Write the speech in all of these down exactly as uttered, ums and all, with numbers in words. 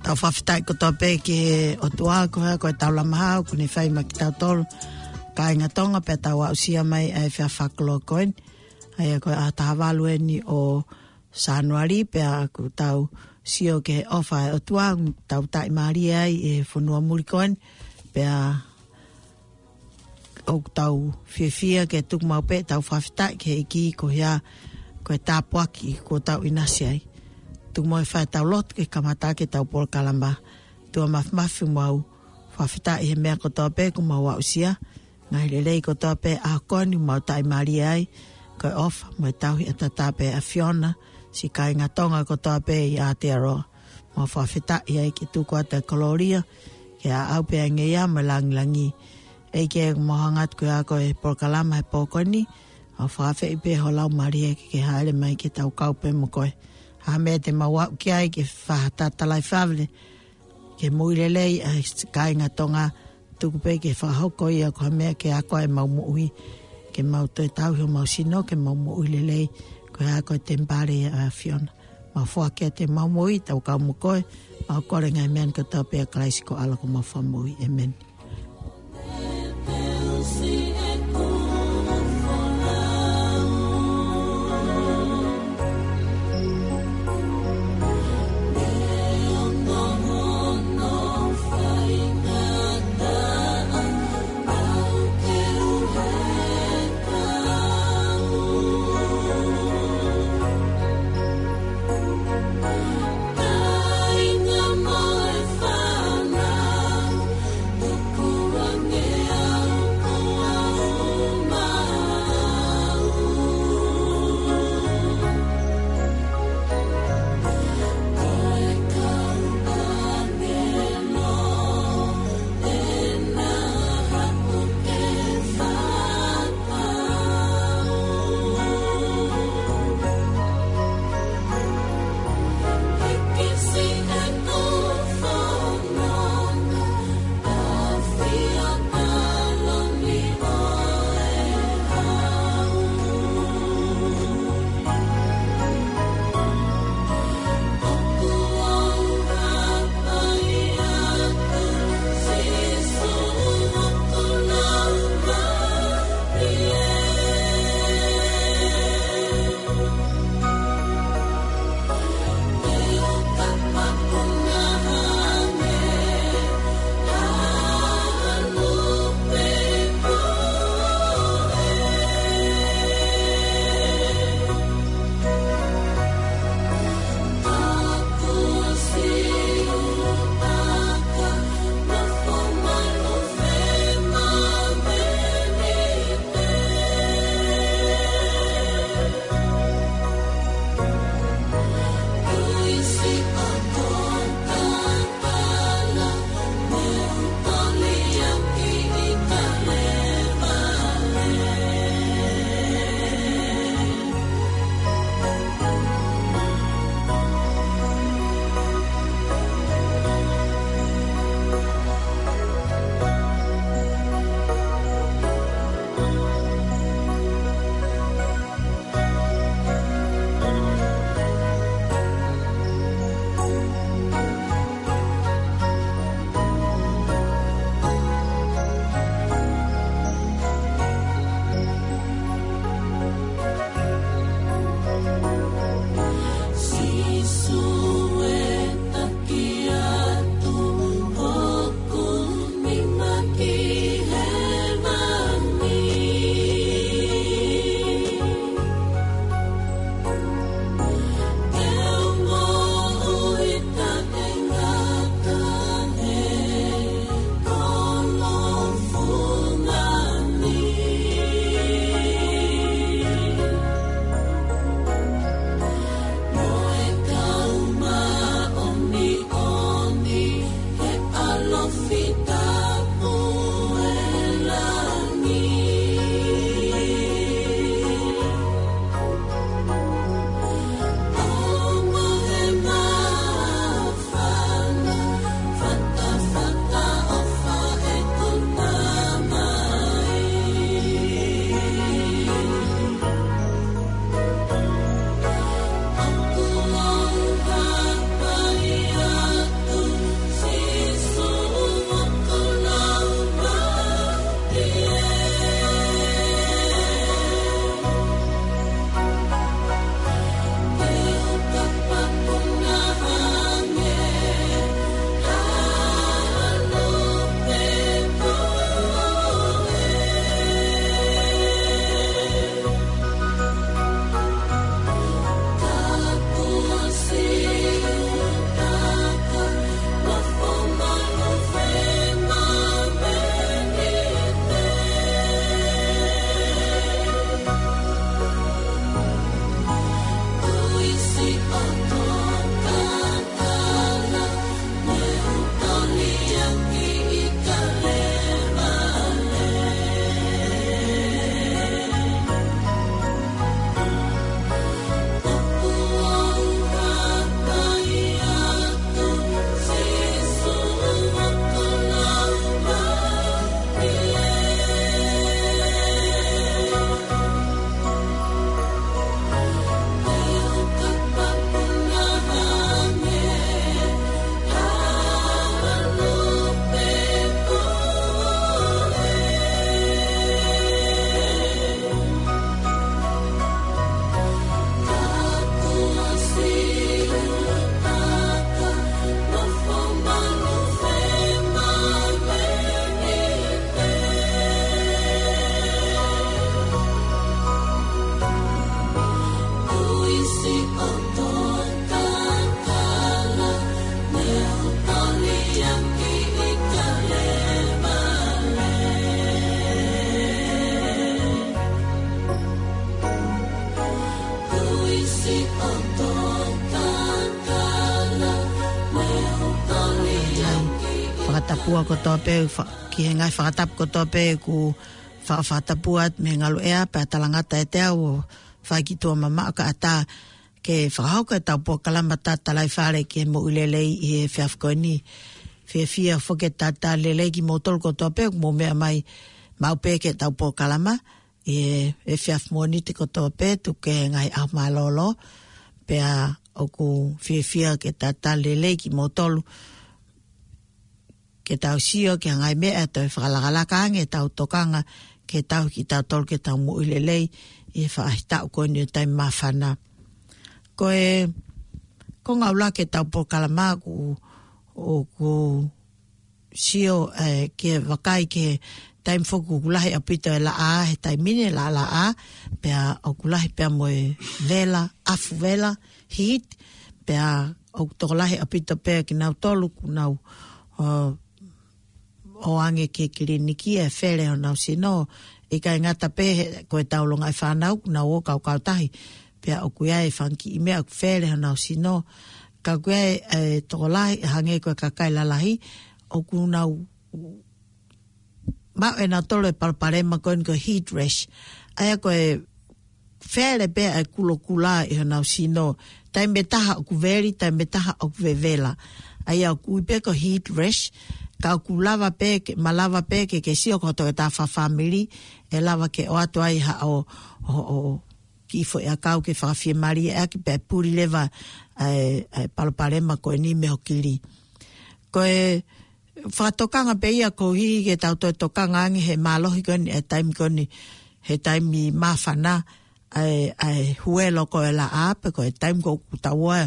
Tau fakafetaʻi kotoa pē ki he ʻOtua ko e hā ko e tau lama hau, ʻoku ne fai maʻa kitautolu kāinga Tonga pea tau aʻusia mai ʻa e efiafi fakalotu ko eni. ʻA ia ko e ʻaho taha valu eni ʻo Sānuali pea ʻoku tau sio ki he ʻofa ʻa e ʻOtua, tau taʻimālie ai ʻi he fonua muli ko eni. Pea ʻoku tau fiefia ke tuku maʻu pē ʻetau fakafetaʻi ki he ʻEiki ko e hā ko e tāpuaki kuo tau ʻinasi ai. Tuku muʻa ke fai ʻetau lotu ke kamata ʻaki ʻetau polokalama. ʻOtua Māfimafi, mau fakafetaʻi he meʻa kotoa pē kuo mau aʻusia. Ngaahi lelei kotoa pē ʻaho ko eni mau taʻimālie ai. Ko e ʻofa mo e tauhi ʻataʻatā pē ʻa e ʻAfiona, siʻi kāinga Tonga kotoa pē ʻi Aotearoa. Mau fakafetaʻi ai ke tuku atu e kolōlia, ke ʻaʻau pē ʻa e ngeia mo e langilangi. ʻEiki, mau hanga atu ko e hā ko e polokalama he pō ko eni, mau fakafeʻi pē ho Laumālie ke ke hāʻele mai ke tau kau pē mo koe. Ha meʻa te mau aʻu ki ai ke fai ha tatalaʻi fale, ke moʻui lelei ʻa e kāinga Tonga, tuku pē ke fakahoko ia ko ha meʻa ke ako ai ʻemau moʻui, ke mau toe tauhi homau sino, ke mau moʻui lelei, ko e hā ko e temipale ʻa e ʻAfiona. Mau foaki atu ʻemau moʻui, tau kau mo koe, mau kole ngaahi meʻa ni kotoa pē ʻia Kalaisi ko e ʻAlo ko homau Fakamoʻui. ʻĒmeni. Tapua kotoa pē, fa-, ki he ngaahi fakatapu kotoa pē ʻoku fa-, fakatapu atu mei he ngaluʻea pea talangata ʻiate au ʻo fai ki tuʻa mamaʻo kae ʻatā ke fakahoko ʻetau polokalama Tatalaifale ki he Moʻui Lelei ʻi he efiafi ko eni. Fiefia foki ke talitali lelei kimoutolu kotoa pē ʻoku mou meʻa mai maʻu pē ki heʻetau polokalama ʻi he efiafi Mōnite kotoa pē, tuku kehe he ngaahi ʻaho mālōlō. Pea ʻoku fiefia ke talitali lelei kimoutolu ke tau sio ki he ngaahi meʻa ʻe toe fakalakalaka ange ʻetau tokanga ke tau, kitautolu ke tau moʻui lelei ʻi he faʻahitaʻu ko eni ʻo e taimi māfana. Ko e, ko e ngaahi ʻuluaki ʻetau polokalama ʻoku, ʻoku sio, eh, ke vakai ki he taimi foki ʻoku lahi ʻaupito e laʻā he taimi ni, laʻalaʻā, pea ʻoku lahi pea mo e vela, ʻafu vela, heat, pea ʻoku tokolahi ʻaupito pē kinautolu ʻoku nau, uh, ō ange ki he kiliniki ʻo fele honau sino. ʻIkai ngata pē he, ko ʻetau longaʻi fānau ʻoku nau ō kaukautahi, pea ʻoku ʻi ai e fanga kiʻi meʻa ʻoku fele honau sino. Ka ʻoku ʻi ai e tokolahi, hangē ko e kakai lalahi, ʻoku nau maʻu ʻe nautolu e palopalema ko eni ko e heat rash. ʻA ia ko e fele pē ʻa e kulokula ʻi honau sino. Taimi ʻe taha ʻoku veli, taimi ʻe taha ʻoku vevela. ʻA ia ʻoku ui pē ko e heat rash, ka ʻoku lava pē ke, malava pē ke, ke sio ki hoʻo toketā fakafāmili, ʻe lava ke ʻoatu ai haʻo, ʻo, ʻo, kiʻi foʻiʻakau ke fakafiemālieʻaki pea puli leva ʻa e, ʻa e palopalema ko eni mei ho kili. Ko e fakatokanga pē ia koeʻuhi ke tau toe tokanga ange he mālohi ko eni, e taimi ko eni, he taimi māfana, ʻa e, ʻa e huelo ko e laʻā, pe ko e taimi ko ʻoku tau ō,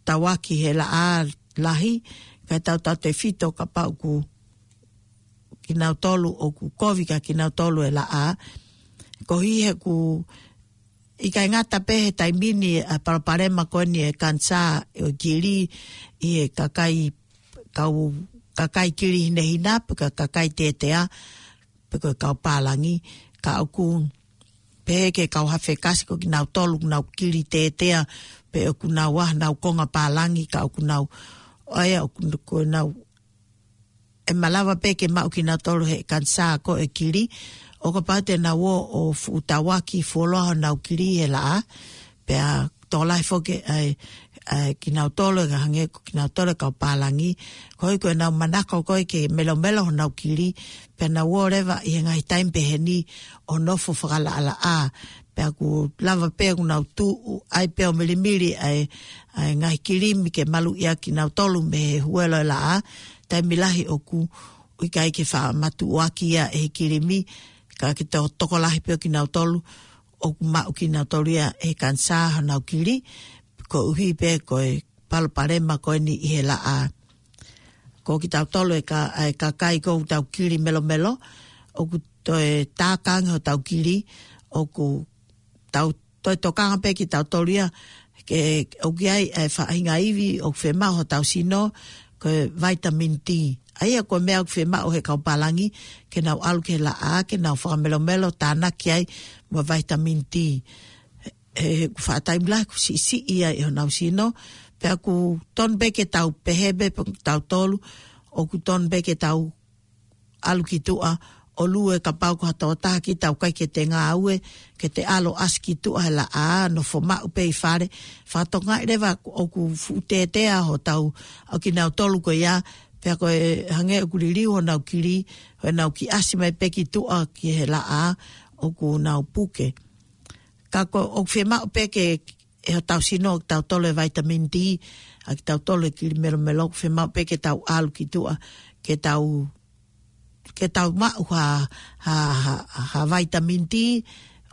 tau ō ki he laʻā lahi, ka tau tautefito kapau ʻoku kinautolu ʻoku kovi kia kinautolu e laʻā. Koeʻuhi he ʻoku ʻikai ngata pē he taimi ni ʻa e palopalema ko eni e kanisā ʻo e kili ʻi he kakai, kau, kakai kili hinehina, pe ko e kakai tetea, pe ko e kau pālangi, ka ʻoku pehē ki he kau hafekasi ko kinautolu ʻoku nau kili tetea, pe ʻoku nau ʻi ai honau konga pālangi, ka ʻoku nau, ʻa ia ʻoku, ko ʻenau ʻe malava pē ke maʻu kinautolu he kanisā ko e kili, ʻo kapau te nau ō ʻo fuʻu tauaki fuoloa honau kili he laʻā, pea tokolahi foki ʻa e, ʻa e kinautolu, ʻe hangē ko kinautolu e kau pālangi, koeʻuhi ko ʻenau manako ko ē ke melomelo honau kili, pea nau ō leva ʻi he ngaahi taimi pehē ni ʻo nofo fakalaʻalaʻā, pea ʻoku lava pē ʻoku nau tuʻu ai pē ʻo milimili ʻa e, ʻa e ngaahi kilimi ke maluʻi ʻaki kinautolu mei he huelo e laʻā, taimi lahi ʻoku ʻikai ke faʻa matuʻuaki ia ʻe he kilimi, ka ke to-, tokolahi pē ʻo kinautolu, ʻoku maʻu kinautolu ia ʻe he kanisā honau kili, koeʻuhi pē ko e palopalema ko eni ʻi he laʻā. Ko kitautolu e ka-, e kakai ko ʻoku tau kili melomelo, ʻoku toe tāka ange hotau kili, ʻoku tau toe tokanga pē kitautolu ia, ke ʻoku ʻi ai e faʻahinga ivi ʻoku fiemaʻu hotau sino, ko e vitamin D. ʻA ia ko e meʻa ʻoku fiemaʻu he kau pālangi, ke nau ʻalu ki he laʻā, ke nau fakamelomelo, tānaki ai mo e vitamin D. He, he ʻoku faʻa taimi lahi ʻoku siʻisiʻi ai ʻe honau sino, pea ʻoku tonu pē ke tau pehē pē, pe tautolu, ʻoku tonu pē ke tau ʻalu ki tuʻa, ʻo lue kapau ko ha tokotaha kita ʻoku ʻikai ke te ngāue, ke te ʻalu ʻo ʻasi ki tuʻa he laʻā, nofo maʻu pē ʻi fale, fakatokangaʻi leva ʻoku fuʻu tetea hotau, ʻa kinautolu ko ia, pea ko e hangē ʻoku liliu honau kili, honau kiʻi ʻasi mai pē ki tuʻa ki he laʻā, ʻoku nau puke. Ka ko, ʻoku fiemaʻu pē ke, ʻe hotau sino, kitautolu e vitamin D, ʻa kitautolu e kili melomelo, ʻoku fiemaʻu pē ke tau ʻalu ki tuʻa, ke tau, ke tau maʻu ha, ha, ha, ha vitamin D,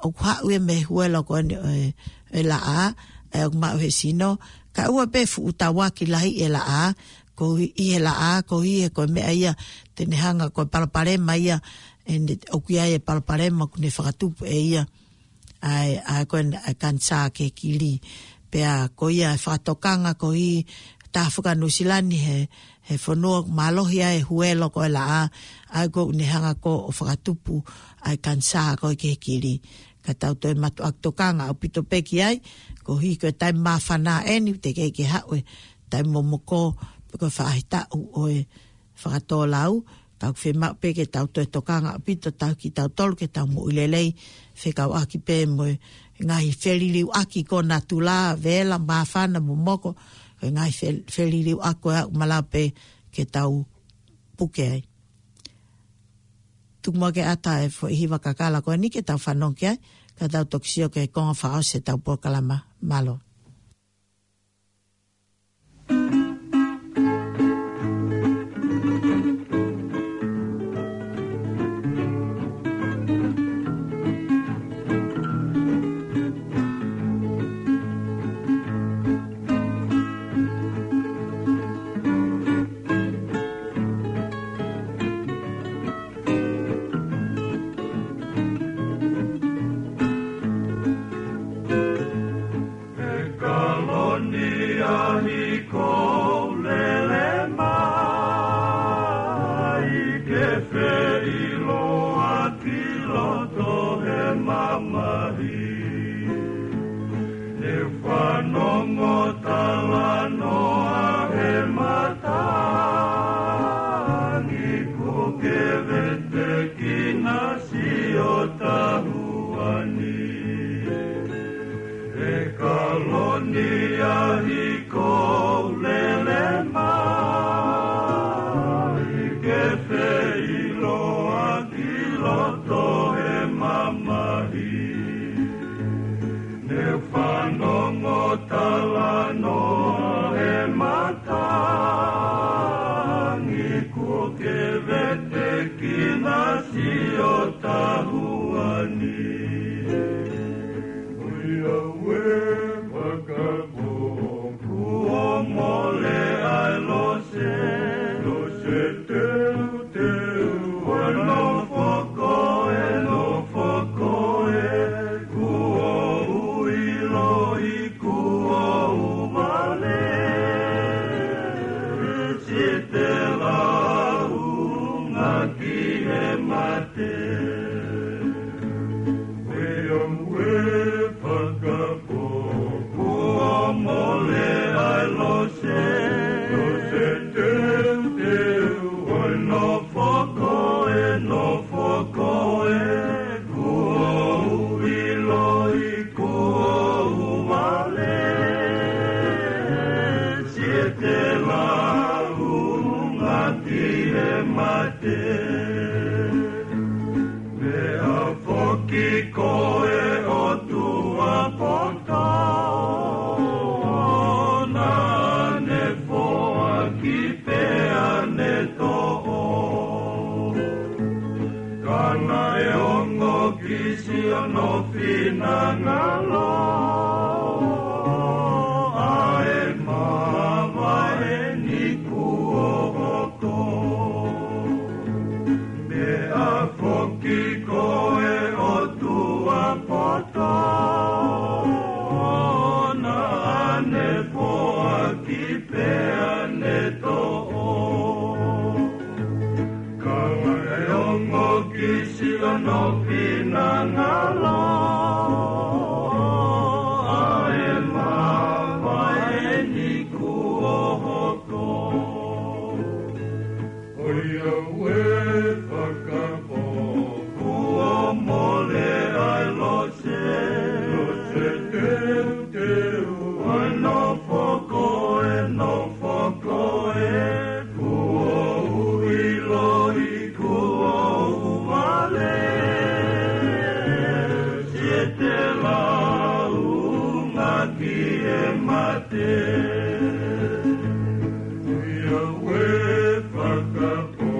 ʻoku haʻu ia mei he huelo ko eni ʻo e, e laʻā, ʻa ia ʻoku maʻu he sino, kae ʻoua pē fuʻu tauaki lahi e laʻā, koeʻuhi he laʻā, koeʻuhi he ko e meʻa ia, te ne hanga ko e palopalema ia, ʻe ne, ʻoku ʻi ai e palopalema ʻoku ne fakatupu ʻe ia. ʻA e, ʻa e ko e, ʻa e kanisā ki he kili. Pea ko ia e fakatokanga koeʻuhi taha foki ʻa Nuʻusila ni he, he fonua mālohi ai e huelo ko e laʻā, ʻa ia ʻoku ne hanga ko ē ʻo fakatupu ʻa e kanisā ko ē ki he kili. Ka tau toe mātuʻaki tokanga ʻaupito pē ki ai, koeʻuhi ko e taimi māfana eni, teʻeki ke haʻu e taimi momoko, pe ko e faʻahitaʻu ʻo e fakatōlau, ka ʻoku fiemaʻu pē ke tau toe tokanga ʻaupito tautolu ke tau moʻui lelei, fekauʻaki pē mo e ngaahi feliliuaki ko natula, vela, māfana, momoko, ko e ngaahi fel-, feliliuaki ko ia ʻoku malava pē ke tau puke ai. Tuku muʻa ke ʻata e foʻi hiva kakala ko eni ke tau fanongo ki ai, ka tau toki sio ki he konga fakaʻosi ʻetau polokalama. Mālō. ʻE Kaloni, ʻahiʻahi ʻoku ou lele mai ke feʻiloaki loto he mamahi. Ne u fanongo talanoa he matangi kuo ke vetekina siʻo tahuʻa ni. ʻE Kaloni, ʻahiʻahi ʻoku ou lele mai ke feʻiloaki loto he mamahi. Ne u fanongo talanoa he matangi kuo ke vetekina siʻo tahuʻa ni. ʻOiauē, fakapō, kuo mole ʻa e lose, lose teuteu, ʻo e nofo ko ē, nofo ko ē, kuo u ʻiloʻi kuo u vale, siʻi te launga ki he mate. ʻOiauē, fakapō, kuo mole ʻa e lose, lose teuteu, ʻo e nofo ko ē, nofo ko ē, kuo u ʻiloʻi kuo u vale, siʻi te launga ki he mate. Meʻa foki ko e ʻotua poto, naʻa ne foaki pea ne toʻo. Ka naʻe ongo ki siʻono finangalo ʻa e mavae ni kuo hoko. Meʻa foki ko e ʻotua poto, naʻa ne foaki pea ne toʻo. Ka naʻe ongo ki siʻono finangalo ʻa e mavae ni kuo hoko. ʻOiauē, fakapō, kuo mole ʻa e lose, lose teuteu, ʻo e nofo ko ē, nofo ko ē, kuo u ʻiloʻi kuo u vale, siʻi te launga ki he mate. ʻOiauē, fakapō,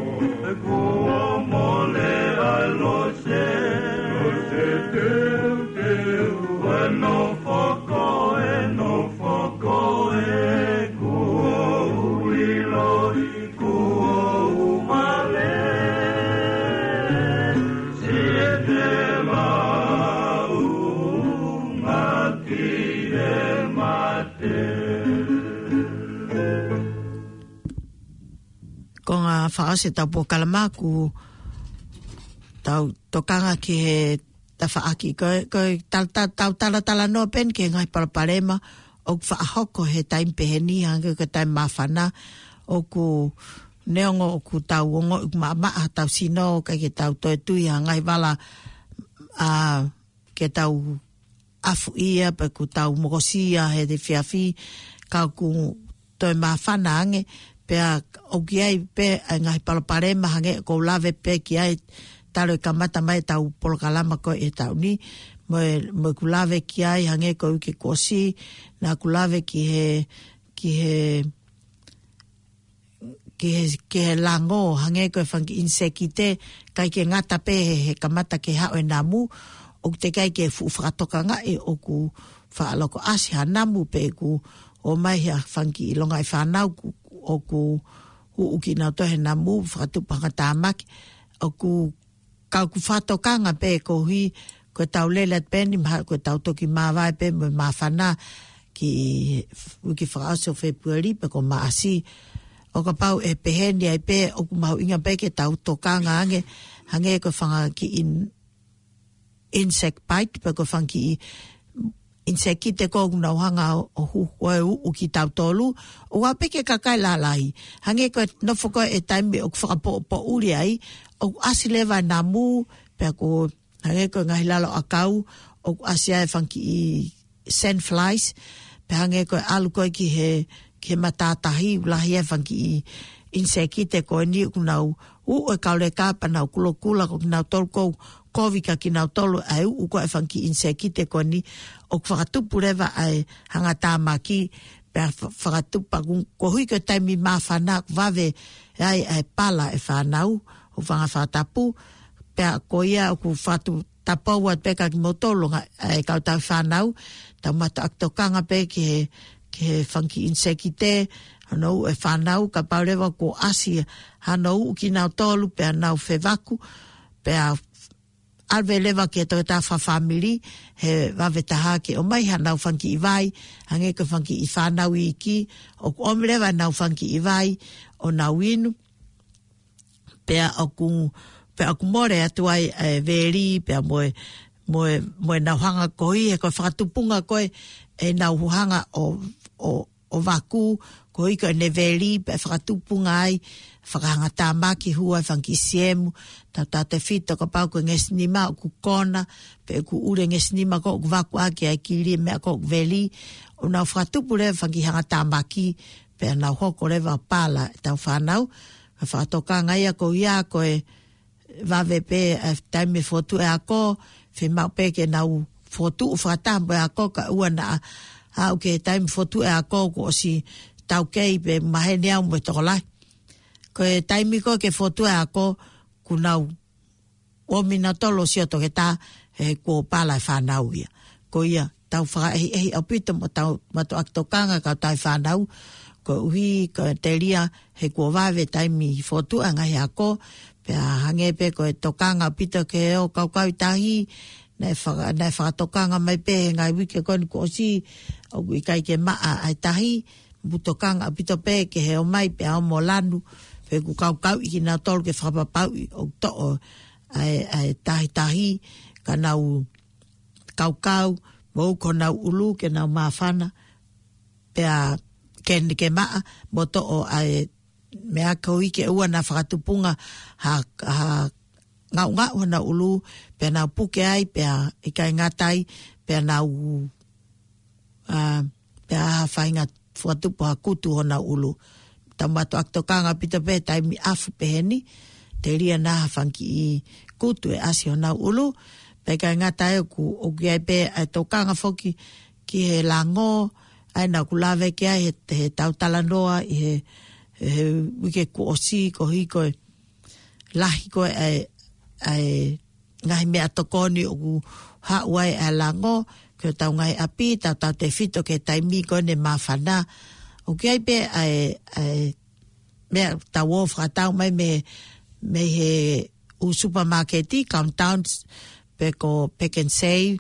kuo mole ʻa e lose, lose teuteu, ʻo e nofo ko ē, nofo ko ē, kuo u ʻiloʻi kuo u vale, siʻi te launga ki he mate. Konga fakaʻosi ʻetau polokalama, ʻoku tau tokanga ki he tafaʻaki. Ko e, ko e tal-, tal-, tau talatalanoa pē eni ki he ngaahi palopalema ʻoku faʻa hoko he taimi pehē ni, hangē ko e taimi māfana, ʻoku neongo ʻoku tau ongoʻi ʻoku maʻamaʻa hotau sino, ʻikai ke tau toe tui ha ngaahi vala, ʻa, ke tau ʻafuʻia pe ʻoku tau mokosia he efiafi, ka ʻoku toe māfana ange, pea ʻoku ʻi ai pē ʻa e ngaahi palopalema hangē ko ʻeku lave pē ki ai talu e kamata mai ʻetau polokalama ko ē he taʻu ni, mo e, mo ʻeku lave ki ai hangē ko e uike kuo ʻosi, naʻá ku lave ki he, ki he, ki he, ki he lango, hangē ko e fanga kiʻi ʻinisekite, ʻikai ke ngata pē he, he kamata ke haʻu e namu, ʻoku teʻeki ai ke fuʻu fakatokangaʻi ʻoku faʻa loko ʻasi ha namu pe ʻoku ʻomai ha fanga kiʻi longaʻi fānau ʻoku, ʻoku uʻu kinautolu he namu, fakatupu hangatāmaki, ʻoku, ka ʻoku fakatokanga pē koeʻuhi ko ʻetau lele atu pē ni, mahalo ko ʻetau toki māvae pē mo e māfana ki he uike fakaʻosi ʻo Fēpueli pe ko Maʻasi. ʻO kapau ʻe pehē ni ai pē, ʻoku mahuʻinga pē ke tau tokanga ange, hangē ko e fanga kiʻi in-, insect bite, pe ko e fanga kiʻi ʻinisekite ko ē ʻoku nau hanga ʻo, ʻo hu-, ʻo uʻu kitautolu, ʻo ʻave pē ki he kakai lalahi. Hangē ko e nofo ko ē he taimi ʻoku fakapoʻupoʻuli ai, ʻoku ʻasi leva e namu, pea ko, hangē ko e ngaahi lalo ʻakau, ʻoku ʻasi ai e fanga kiʻi sand flies, pea hangē ko e ʻalu ko ē ki he, ki he matātahi, ʻoku lahi ai e fanga kiʻi ʻinisekite ko eni ʻoku nau uʻu e kauleka pea nau kulokula, ko kinautolu ʻoku kovi kia kinautolu ʻa e uʻu ko ē e fanga kiʻi ʻinisekite ko eni, ʻoku fakatupu leva ʻa e hangatāmaki, pea fa-, fakatupu pea ʻoku, koeʻuhi ko e taimi māfana ʻoku vave ai ʻa e pala e fānau, ʻoku fanga fakatapu, pea ko ia ʻoku fakatupu, tapou atu pē kia kimoutolu ngaahi, ʻa e kau tauhi fānau, tau mātuʻaki tokanga pē ki he, ki he fanga kiʻi ʻinisekite, hono uʻu e fānau, kapau leva kuo ʻasi hano uʻu kinautolu, pea nau fevaku, pea ʻave leva ki he toketā fakafāmili, he vave taha ke ʻomai hanau fanga kiʻi vai, hangē ko e fanga kiʻi fānau iiki, ʻoku ʻomi leva ʻenau fanga kiʻi vai, ʻo nau inu, pea ʻoku, pea ʻoku mole atu ai e veli, pea mo e, mo e, mo ʻenau hanga koeʻuhi, he ko e fakatupunga ko ē ʻenau hanga ʻo, ʻo, ʻo vaku, koeʻuhi ko ʻene veli, pea fakatupunga ai, fakahangatāmaki hua e fanga kiʻi siemu, tautautefito kapau ko e ngesinima ʻoku kona, pe ʻoku ʻuli e ngesinima ko ē ʻoku vaku ʻaki ʻa e kili e meʻa ko ē ʻoku veli, ʻo nau fakatupu leva e fanga kiʻi hangatāmaki, pea nau hoko leva ʻo pala ʻetau fānau. Ka fakatokanga ia ko ia ko e vave pē ʻa e taimi fokotuʻu e ako, fiemaʻu pē ke nau fokotuʻu fakataha mo e ako kae ʻoua naʻa aʻu ki he taimi fokotuʻu e ako kuo ʻosi taukei pe maheni au mo e tokolahi. Ko e taimi ko ē ke fokotuʻu e ako, kuo nau ʻomi nautolu ʻo sio toketā he kuo pala e fānau ia. Ko ia, tau fakaʻehiʻehi ʻaupito mo tau mātuʻaki tokanga kau tauhi fānau, koeʻuhi ko e telia he kuo vave taimi fokotuʻu e ngaahi ako, pea hangē pē ko e tokanga ʻaupito ki he ō kaukau ʻi tahi, naʻe faka-, naʻe fakatokanga mai pē he ngaahi uike ko eni kuo ʻosi, ʻoku ʻikai ke maʻa ʻa e tahi, mou tokanga ʻaupito pē ki he ō mai pea ō mo lanu, pe ʻoku kaukauʻi kinautolu ke fakapapauʻi ʻoku toʻo ʻa e, ʻa e tahitahi, ka nau kaukau, mo uku honau ʻulu ke nau māfana, pea ke, ke maʻa, mo toʻo ʻa e meʻa koeʻuhi ke ʻoua naʻa fakatupunga ha, ha ngaungaʻu honau ʻulu, pea nau puke ai, pea ʻikai ngata ai, pea nau, ʻa, pea ha faʻahinga fakatupu ha kutu honau ʻulu. Tau mātuʻaki tokanga ʻaupito pē taimi ʻafu pehē ni, telia naʻa ha fanga kiʻi kutu ʻe ʻasi honau ʻulu, pea ʻikai ngata ai ʻoku, ʻoku ʻi ai pē ʻa e tokanga foki ki he lango, ʻa ia naʻá ku lave ki ai he, he tau talanoa ʻi he, he uike kuo ʻosi koeʻuhi ko e lahi ko ē ʻa e, ʻa e ngaahi meʻatokoni ʻoku haʻu ai ʻa e lango, ki hotau ngaahi ʻapi, tautautefito ki he taimi ko eni māfana. ʻOku ʻi ai pē ʻa e, ʻa e meʻa tau ō fakatau mai mei, mei he ʻū supermarket, Countdowns, pe ko Pak'nSave,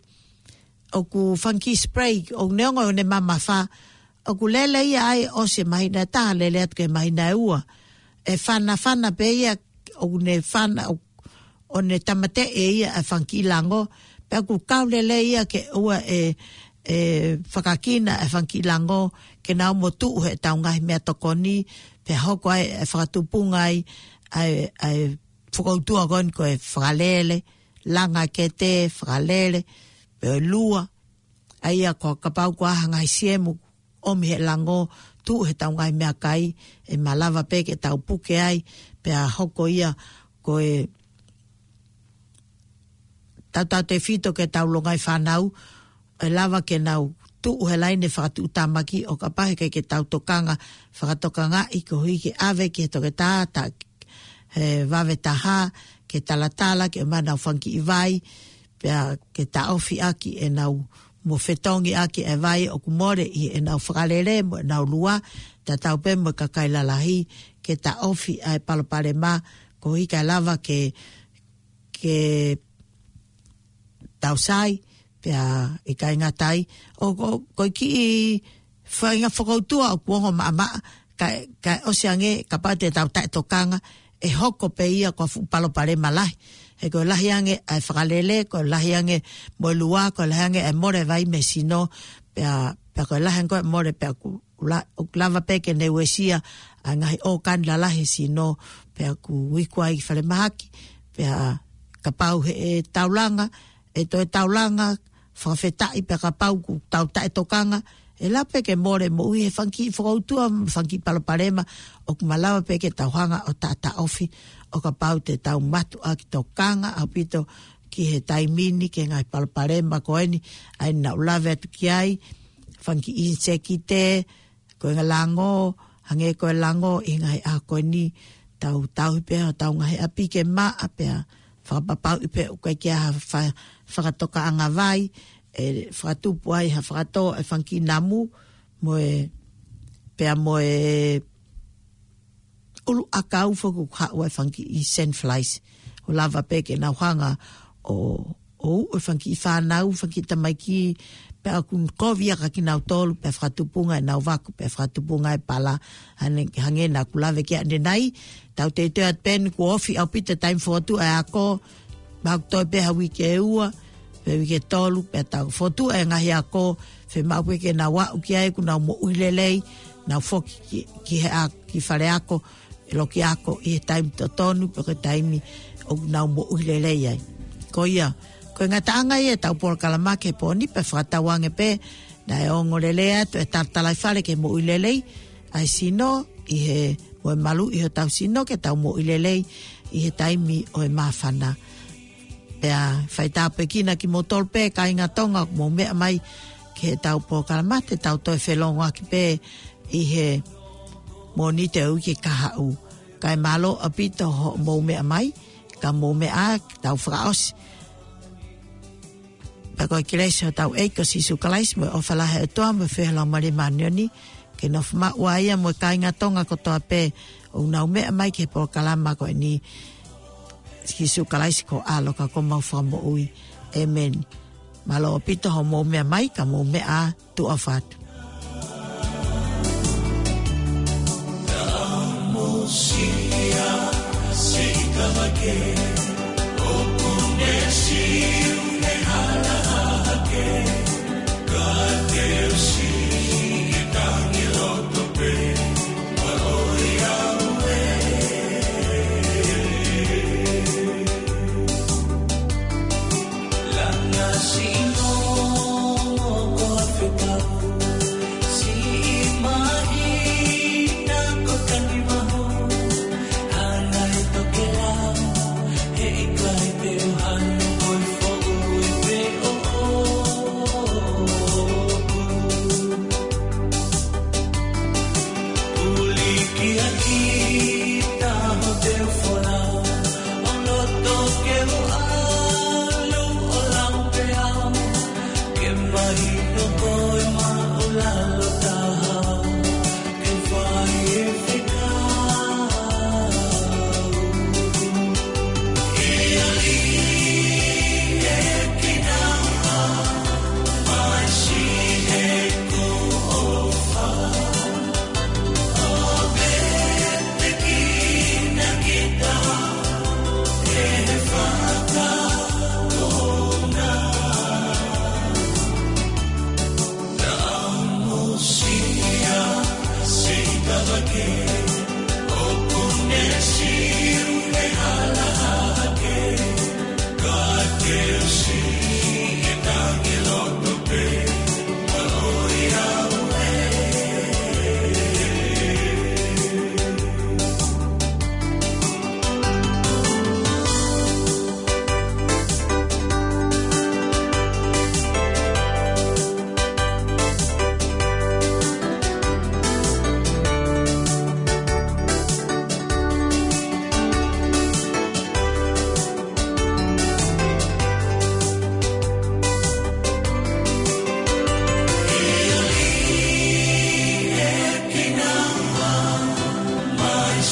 ʻoku fanga kiʻi spray, ʻoku neongo ʻene mamafa, ʻoku lele ia ai ʻosi e māhina ʻe taha lele atu ki he māhina ʻe ua. ʻE fanafana pē ia, ʻoku ne fana, ʻo, ʻo ne tāmateʻi ia ʻa e fanga kiʻi lango, pea ʻoku kau lelei ia ke ʻoua ʻe, ʻe fakakina ʻa e fanga kiʻi lango, ke nau ō mo tuʻu heʻetau ngaahi meʻatokoni, pea hoko ai e fakatupunga ai ʻa e, ʻa e fokoutua ko eni ko e fakalele, langa kete, fakalele, pea lua, ʻa ia ko e kapau ko ha ngaahi siemu ʻomi he lango, tuʻu he tau ngaahi meʻakai, ʻe malava pē ke tau puke ai, pea hoko ia ko e tautautefito ki he tau longaʻi fānau, ʻe lava ke nau tuʻu he laine fakatuʻutāmaki ʻo kapau he ʻikai ke tau tokanga, fakatokangaʻi koeʻuhi ke ʻave ki he toketā, ta, he vave taha, ke talatala, ke ʻomai ʻenau fanga kiʻi vai, pea ke taʻofi ʻaki ʻenau mo fetongi ʻaki e vai ʻoku mole ʻi heʻenau fakalele mo ʻenau lua, tatau pē mo e kakai lalahi, ke taʻofi ʻa e palopalema, koeʻuhi kae lava ke, ke tau sai, pea ʻikai ngata ai. ʻO ko, ko e kiʻi faʻahinga fokoutua ʻoku ongo maʻamaʻa, kae, kae ʻosi ange, kapau te tau taʻetokanga, ʻe hoko pē ia ko ha fuʻu palopalema lahi. He ko e lahi ange ʻa e fakalele, ko e lahi ange mo e lua, ko e lahi ange ʻa e mole vai mei he sino, pea, pea ko e lahi ange ko e mole, pea ʻoku la-, ʻoku lava pē ke ne uesia ʻa e ngaahi ʻōkani lalahi he sino, pea ʻoku iku ai ki falemahaki, pea kapau he ʻe taulanga, ʻe toe taulanga, fakafetaʻi pea kapau ʻoku tau taʻetokanga, ʻe lava pē ke mole moʻui he fanga kiʻi fokoutua, fanga kiʻi palopalema, ʻoku malava pē ke tau hanga ʻo taʻataʻofi, ʻo kapau te tau mātuʻaki tokanga ʻaupito ki he taimi ni, ki he ngaahi palopalema ko eni, ʻa ia naʻa ku lave atu ki ai, fanga kiʻi inisekite, ko e ngaahi lango, hangē ko e lango ʻi he ngaahi ʻaho ko eni, tau tauhi pē ʻa hotau ngaahi ʻapi ke maʻa pea fakapapauʻi pē ʻoku ʻikai ke ʻi ai ha fa-, fakatokaʻanga vai, ʻe fakatupu ai ha fakatō ʻa e fanga kiʻi namu, mo e, pea mo e ʻuluʻakau foki ʻoku haʻu ai e fanga kiʻi sand flies. ʻO lava pē ke nau hanga ʻo, ʻo uʻu e fanga kiʻi fānau, fanga kiʻi tamaiki, pea ʻoku kovi ia kia kinautolu, pea fakatupunga ʻenau vaku, pea fakatupunga e pala, hangē, hangē naʻa ku lave ki ai ʻanenai, tau teuteu atu pē eni kuo ofi ʻaupito e taimi fokotuʻu e ako, mahalo toe pē ha uike ʻe ua, pe uike ʻe tolu, pea tau fokotuʻu e ngaahi ako, fiemaʻu pē ke nau aʻu ki ai ʻoku nau moʻui lelei, nau foki ki, ki he a-, ki fale ako, ʻe loki ako ʻi he taimi totonu, pe ko e taimi ʻoku nau moʻui lelei ai. Ko ia, ko e ngataʻanga ia e tau polokalama ki he pō ni pea fakatauange pē, naʻe ongo lelei atu e talatalaifale ki he moʻui lelei, ʻa e sino, ʻi he mo e malu ʻi hotau sino ke tau moʻui lelei, ʻi he taimi ʻo e māfana. Pea fai tāpuekina kimoutolu pē kāinga Tonga ʻoku mou meʻa mai ki he tau polokalama te tau toe felongoaki pē ʻi he Mōnite ʻo e uike kahaʻu. Kae mālō ʻaupito hoʻomou meʻa mai, ka mou meʻa ā, tau fakaʻosi. Pea ko e kelesi ʻa hotau ʻEiki ko Sīsū Kalaisi mo e ʻofa lahi ʻa e ʻOtua mo e feohi ʻa e Laumālie Māʻoniʻoni, ke nofo maʻu ai ia mo e kāinga Tonga kotoa pē ʻoku nau meʻa mai ki he polokalama ko eni. Sīsū Kalaisi ko e ʻAlo ka ko homau Fakamoʻui. ʻĒmeni. Mālō ʻaupito hoʻomou meʻa mai, ka mou meʻa ā, tuʻa ʻofa atu.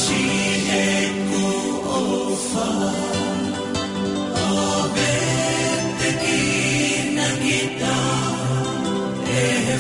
Siʻeku ʻofa, ʻo vetekina kita ʻe he